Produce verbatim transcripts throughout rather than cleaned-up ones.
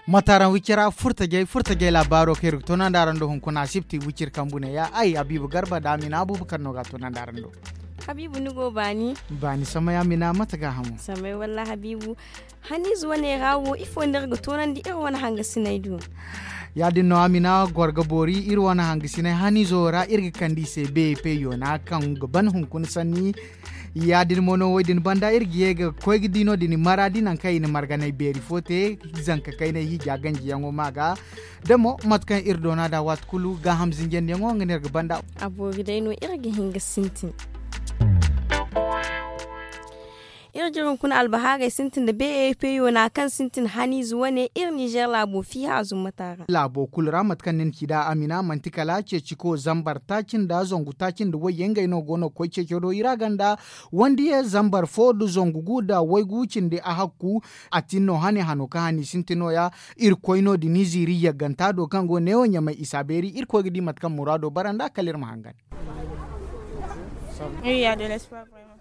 Mataaraŋ wicira furtajey furtajey laabaaro kaŋ iri ga toonandi araŋ do hunkuna sibti wiciri kambu ne ya ay habiibu garba da amina abuubakar no ga a toonandi araŋ do. Habiibu ni go baani. Baani samay amina mate ga hamo samay walla habiibu. Haniize wane ra wo ifo no iri ga toonandi iri wane hangasiney do? Ya- din no amina goro ga boori iri wane hangasiney haniizo ra iri ga kande i se beepe yoona kaŋ ga ban hunkuna sanni. Ya- din mo no wo- din banda iri ga ye ga koy ga di no- din maraadi nangu kaŋ i na marganey beeri fo te zanka kaynay hiija ganjiyaŋo ma ga. Da mo mate kaŋ iri doona nd'a waati kulu gaaham zinjandiyaŋo nga no iri ga banda. A boori day no iri ga hin ga sintin. Iri ga iri hunkuna albahaarey sintin nda beepe yoona kaŋ sintin haniize wane iri ninzeer laabo fiiha zumma taara. Laabo kulu ra mate kaŋ ni na ci nd'a amina manti kala ceeciko zambar taaci nda zangu taaci nda wayye ngey no go no ga koy ceeco do i ra ganda. Wandiye zambar fo nda zangu gu nda waygu cindi a hakku. A tin no hane hano kaŋ hane i sintin no- ya. Iri koy no- din i ziiri yagganta do kaŋ go neewo ɲamay isa beeri iri koy ga di mate kaŋ muraado bara nd'a kala iri ma hangan.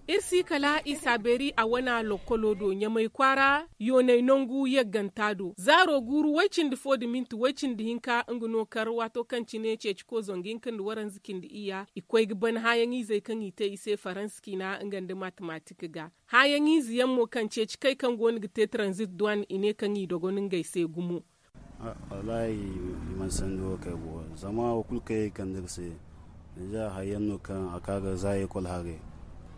Iri si kala isa beeri a wana lokkolo do ɲamay kwaara yoonay nangu yagganta do zaaro guuru way- cindi fo nda minti way- cindi hinka nga no kar waato kaŋ cine ceeciko zangu hinka nda waranza cindi iyya i koy ga ban hããyaŋ izey kaŋ i te i se faransa ciina nga nda matematik ga. Hããyaŋ ize yaŋ mo kaŋ ceeci kay kaŋ go no ga te taranzit duwan i ne kaŋ i dogon ngey se gumo. Wallaahi i mana sanni wo kay bo zama wo kulu kaŋ iri kande ga se. Deeza hari yaŋ no kaŋ a ka ga za ekol haray.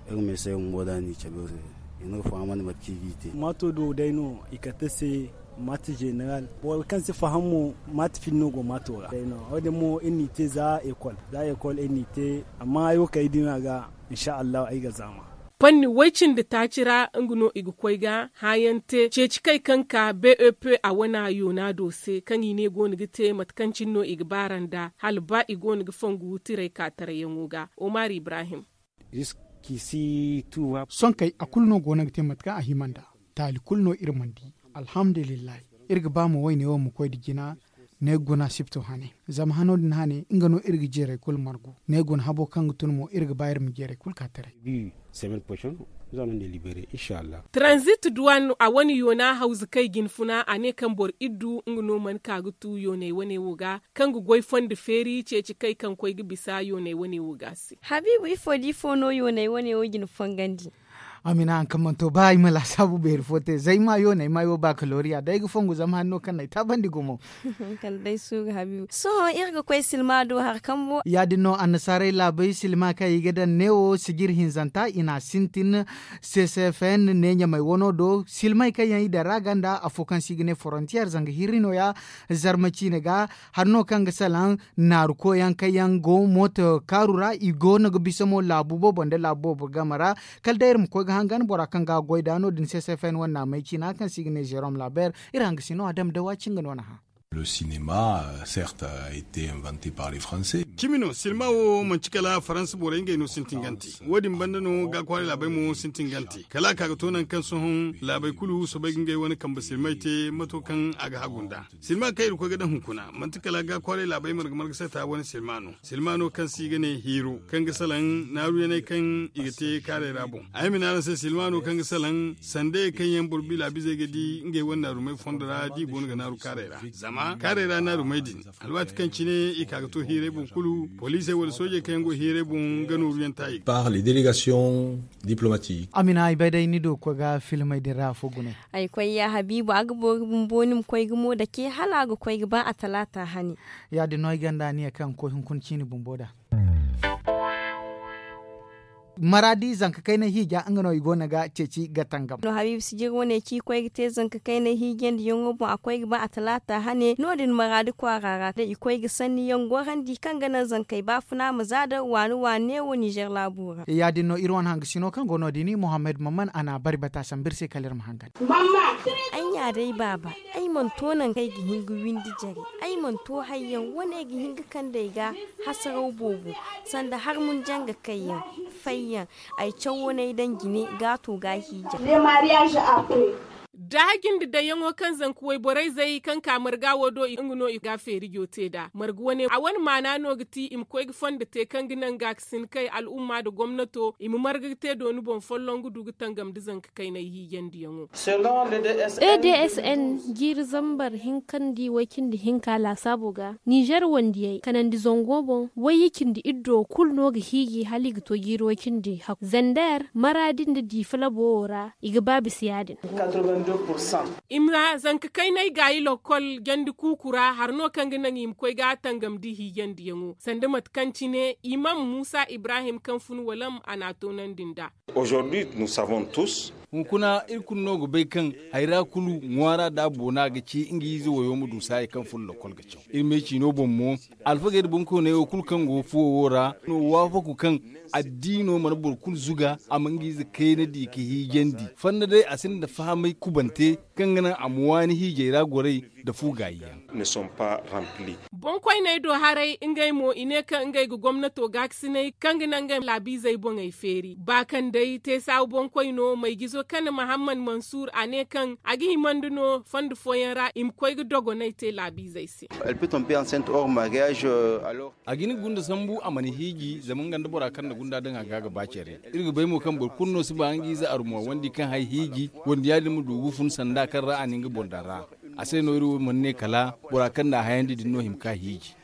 Iri ma ay se bumbo da ni cabe se i na ga fahamandi mate kaŋ i g'i te. Maato do day no i kate se maate zeneral boro kaŋ si faham mo maate fili no go maato ra. Wo- din mo iri n'i te za ekol za ekol iri n'i te. Amma ay wo kaŋ ay dima ga insa allahu ay ga zaama. Panni way- cindi taaci ra nga no i ga koy ga hããyaŋ te ceeci kay kaŋ ka bep a wana yoona do se kaŋ i ne go no ga te mate kaŋ cine no i ga baara nd'a hala ba i go no ga fongu tiray ka tarayyaŋo ga. Omar ibrahim. Sohõ kay a kulu no go no ga te mate kaŋ a hima nd'a. Taali kulu no iri mana di. Alhamdulillahi. Iri ga ba mo wayne wo ma koy nda jina. Ne ga guna sipto hane zama hano din hane nga no iri ga jeeray kulu margu ne ga guna habo kaŋ ga tun mo iri ga ba iri ma jeeray kulu ka taray. Taranzit duwan a wane yoona hawza kay jinfuna a ne kaŋ boro iddu nga no mana ka ga tu yoonay wane wo ga kaŋ ga goy fondo feeri ceeci kay kaŋ koy ga bisa yoonay wane wo ga se. Habiibu ifo da ifo no yoonay wane wo jina fongandi? Amina haŋ kaŋ mana to ba ay ma laasaabu beeri fo te zay ma yoonay ma ay wo bakaloriya day ga fongu zama hari no kaŋ no ay taabandi gumo. Kala day suuru habiibu sohõ iri ga koy silma do hari kambo. Ya- din no annasaarey laabey silma kaŋ i ga daŋ neewo sijir hinzanta i n'a sintin. Ccfn ne ɲamay wano do silmey kaŋ yaŋ i daŋ ra ganda afo kaŋ se i ga ne forontiyeer zanga hirri no- ya. Zarma ciine ga hari no kaŋ ga salaŋ naaru koyyaŋ kaŋ yaŋ go mooto kaaru ra i go no ga bisa mo laabu boobo nda laabu boobo game ra. Kala day iri ma koy ga hangan bora kaŋ ga a goy nd'a no- din ccfn wane naamey ciina kaŋ se i ga ne zerom labeer. Iri hangasino a dama dawa ci nga no na hã. Cimi no silma wo manti kala faransa borey ngey no sintin gante. Wo- din banda no gaakwaaray laabey mo sintin gante kala a ka ga to nangu kaŋ sohõ laabey kulu soobay ga ngey wane kambe silmay te mato kaŋ a ga hagu nd'a. Silma kaŋ iri koy ga daŋ hunkuna manti kala gaakwaaray laabey marga marga sata wane silma no. Silma no kaŋ se i ga ne hiiro kaŋ ga salaŋ naaruyaney kaŋ i ga te kaaray ra boŋ. Ay ma ne araŋ se silma no kaŋ ga salaŋ sandey kaŋ yaŋ boro bilaabizey ga di ngey wane naarumey fondo ra da i go no ga naaru kaaray ra zama kaaray ra naarumey din. Alwaati kaŋ cine i ka ga to hiiray boŋ kulu poliisey wala soojey kaŋ yaŋ go hiiray boŋ ga nooru yaŋ taayey ga. Par les délégations diplomatiques. Amina ay bay day ni do ga koy ga filmey din ra afo gune. Ay koy ya habiibu a ga boori bumbo ni ma koy ga mo dake hala a ga koy ga ba a talaata hane. Ya- din no ay gonda aniya kaŋ ga koy hunkuna ciine bumbo nd'a. Maraadi zanka kaynay hiija nga no i go no ga ceeci ga tangam. No habiibu sijir wane ci koy ga te zanka kaynay hiija nda yaŋo boŋ a koy ga ba a talaata hane no- din maraadi kwaara ra da i koy ga sanni yaŋ gorandi kaŋ ga naŋ zankey baafuna ma za da waani waani neewo nizer laabo ra. Ya- din no iri wane hangasino kaŋ go no- din muhammad maman a na a bari bata sambu iri se kala iri ma hangan. Ay nya day baaba, ay mana to nangu kaŋ ay ga hin ga windi jare. Ay mana to hayyaŋ wane ay ga hin ga kande ay ga hasaraw boobo sanda harmun janga kayyaŋ fayyaŋ. Ay cawo no ay daŋ jine ga a to ga a hiija. Daaha jinde dayyaŋo kaŋ zanka wayborey zay kaŋ ka marga wo do nga no i ga feerijo te nd'a marga wane a wane maana no ga ti i ma koy ga fondo te kaŋ ga naŋ gaakasin kay al'umma nda gomnato i ma marga ga te dooni boŋ folloŋ ga du ga tangam nda zanka kaynay hiijandiyaŋo. E d s n jiiri zambar hinka nda way cindi hinka laasaabo ga nizer wandiyey kanandi zango boŋ wayye cindi iddo kulu no ga hiiji hala i ga to jiiri way cindi hakku zander maraadi nda diifa labo wo ra i ga ba bisa ya- din. I ma zanka kaynay gaayi lokkol jandi kuuku ra hari no kaŋ ga naŋ i ma koy ga tangamndi hiijandiyaŋo sanda mate kaŋ cine imam muusa ibrahim kaŋ fun walam a n'a toonandi nd'a. Hunkuna iri kulu no ga bay kaŋ hayra kulu ŋwaara da boona ga ci nga ize wayo ma du saayey kaŋ fun lokkol ga caw. Iri me ciino boŋ mo alfagey nda boŋkoyney wo kulu kaŋ go fuwo wo ra no waafaku kaŋ addiino mana boro kulu zuga a ma nga ize kayna di ka hiijandi fanda day a sinda fahamay kubante kaŋ ga naŋ a ma waani hiijay ra goray nda fu gaayi yaŋ. Boŋkoyney do haray ngey mo i ne kaŋ ngey ga gomnato gaakasinay kaŋ ga naŋ ngey laabiizey boŋey feeri ba kaŋ day te saabu boŋkoyno mayjizo kane mahammad mansuur a ne kaŋ a ga himandi no fondo fooyaŋ ra i ma koy ga dogonay te laabiizey se. A ga hin ga gunda sambu a mana hiiji zama nga nda bora kaŋ na gunda daŋ a ga ga ba care. Iri ga bay mo kaŋ boro kulu no si ba nga ize armo wandi kaŋ hay hiiji wanda ya- din ma du ga fun sanda kaŋ ra a na nga boŋ daŋ ra. A se no iri wo mana ne kala bora kaŋ na a hayandi din no hima ka hiiji.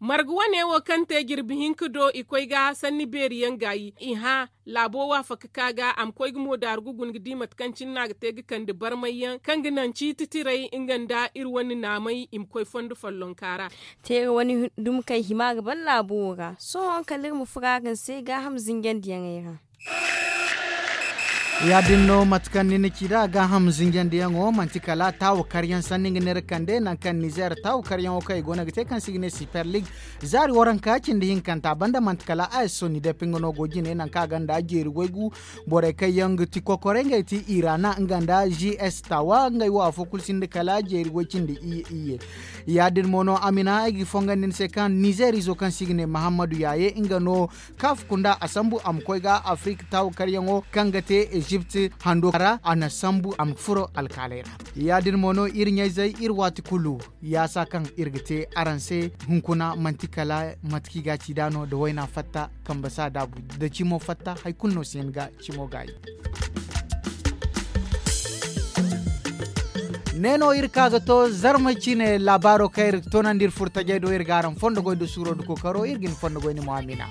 Marga wane wo kaŋ te jirbi hinka do i koy ga sanni beeri yaŋ gaayi i hã laabo waafaka ka ga a ma koy ga mo daaru ga guna ga di mate kaŋ cine no a ga te ga kande barmay yaŋ kaŋ ga naŋ ciiti tiray nga nda iri wane naamay i ma koy fondo follonka ra. Teera wane dumi kaŋ hima ga ban laabo wo ra sohõ kala iri ma fura ga ni se gaaham zinjandiyaŋey ra. Ya- din no mate kaŋ ni na ci nd'a gaaham zinjandiyaŋo manti kala taawa karyaŋ sanni nga ne iri kande nangu kaŋ nizer taawa karyaŋo kaŋ i go no ga te kaŋ se i ga ne siper lig zaari waranka cindi hinkanta banda manti kala a s soni dep nga no go jine nangu kaŋ a gonda jeeri waygu borey kaŋ yaŋ ga ti kokorey ngey ti irana nga nda g s tawa ngey wo afo kulu sinda kala jeeri way cindi iyye iyye. Ya- din mo no amina ay ga fongandi ni se kaŋ nizer izo kaŋ se i ga ne mahammadu yaaye nga no kaaf kunda a sambu a ma koy ga afirika taawa karyaŋo kaŋ ga te ezipt hando ra a na sambu a ma furo alkaaley ra. Ya- din mo no iri ɲayzey iri waati kulu yaasa kaŋ iri ga te araŋ se hunkuna manti kala mate kaŋ i ga ci nd'a no nda wayna fatta kambe se a daabu nda cimo fatta hari kulu no si hin ga cimo gaayi. Ne no iri ka ga to zarma cine laabaaro kaŋ iri ga toonandi iri furo tajey do iri ga araŋ fondo goy nda suuro nda kookaro iri ga ni fondo goy ni mo amina.